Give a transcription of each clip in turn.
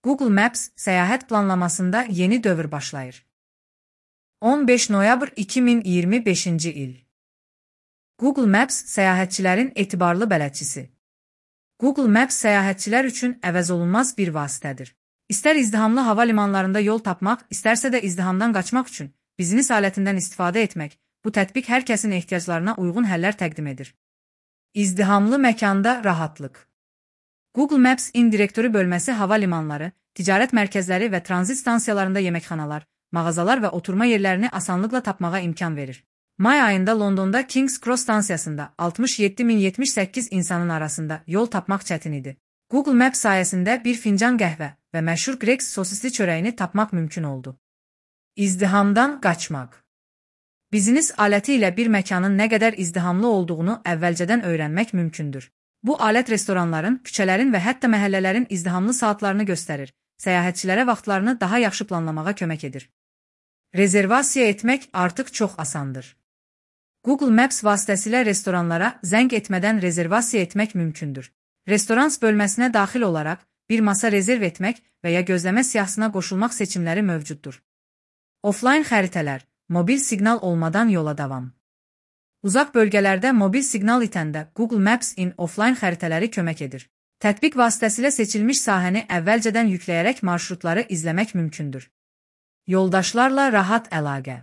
Google Maps səyahət planlamasında yeni dövr başlayır. 15 noyabr 2025-ci il. Google Maps səyahətçilərin etibarlı bələdçisi. Google Maps səyahətçilər üçün əvəzolunmaz bir vasitədir. İstər izdihamlı hava limanlarında yol tapmaq, istərsə də izdihamdan qaçmaq üçün biznes alətindən istifadə etmək, bu tətbiq hər kəsin ehtiyaclarına uyğun həllər təqdim edir. İzdihamlı məkanda rahatlıq. Google Maps indirektoru bölməsi hava limanları, ticarət mərkəzləri və tranzit stansiyalarında yeməkxanalar, mağazalar və oturma yerlərini asanlıqla tapmağa imkan verir. May ayında Londonda King's Cross stansiyasında 67.078 insanın arasında yol tapmaq çətin idi. Google Maps sayəsində bir fincan qəhvə və məşhur Greggs sosisli çörəyini tapmaq mümkün oldu. İzdihamdan qaçmaq. Biznes aləti ilə bir məkanın nə qədər izdihamlı olduğunu əvvəlcədən öyrənmək mümkündür. Bu alət restoranların, küçələrin və hətta məhəllələrin izdihamlı saatlarını göstərir, səyahətçilərə vaxtlarını daha yaxşı planlamağa kömək edir. Rezervasiya etmək artıq çox asandır. Google Maps vasitəsilə restoranlara zəng etmədən rezervasiya etmək mümkündür. Restorans bölməsinə daxil olaraq bir masa rezerv etmək və ya gözləmə siyahısına qoşulmaq seçimləri mövcuddur. Offline xəritələr, mobil siqnal olmadan yola davam. Uzaq bölgələrdə mobil siqnal itəndə Google Maps in offline xəritələri kömək edir. Tətbiq vasitəsilə seçilmiş sahəni əvvəlcədən yükləyərək marşrutları izləmək mümkündür. Yoldaşlarla rahat əlaqə.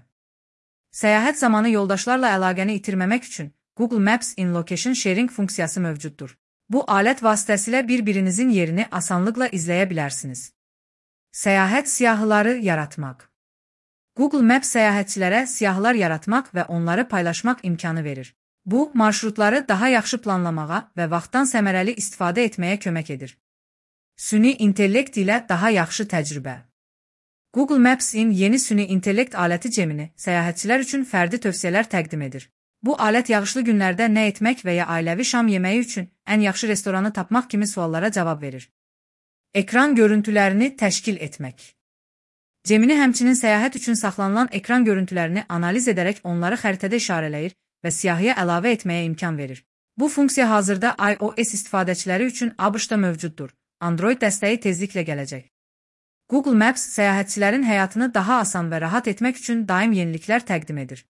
Səyahət zamanı yoldaşlarla əlaqəni itirməmək üçün Google Maps in Location Sharing funksiyası mövcuddur. Bu alət vasitəsilə bir-birinizin yerini asanlıqla izləyə bilərsiniz. Səyahət siyahıları yaratmaq. Google Maps səyahətçilərə siyahılar yaratmaq və onları paylaşmaq imkanı verir. Bu, marşrutları daha yaxşı planlamağa və vaxtdan səmərəli istifadə etməyə kömək edir. Süni intellekt ilə daha yaxşı təcrübə. Google Maps-in yeni süni intellekt aləti Gemini səyahətçilər üçün fərdi tövsiyələr təqdim edir. Bu alət yağışlı günlərdə nə etmək və ya ailəvi şam yeməyi üçün ən yaxşı restoranı tapmaq kimi suallara cavab verir. Ekran görüntülərini təşkil etmək. Gemini həmçinin səyahət üçün saxlanılan ekran görüntülərini analiz edərək onları xəritədə işarələyir və siyahıya əlavə etməyə imkan verir. Bu funksiya hazırda iOS istifadəçiləri üçün ABŞ-da mövcuddur. Android dəstəyi tezliklə gələcək. Google Maps səyahətçilərin həyatını daha asan və rahat etmək üçün daim yeniliklər təqdim edir.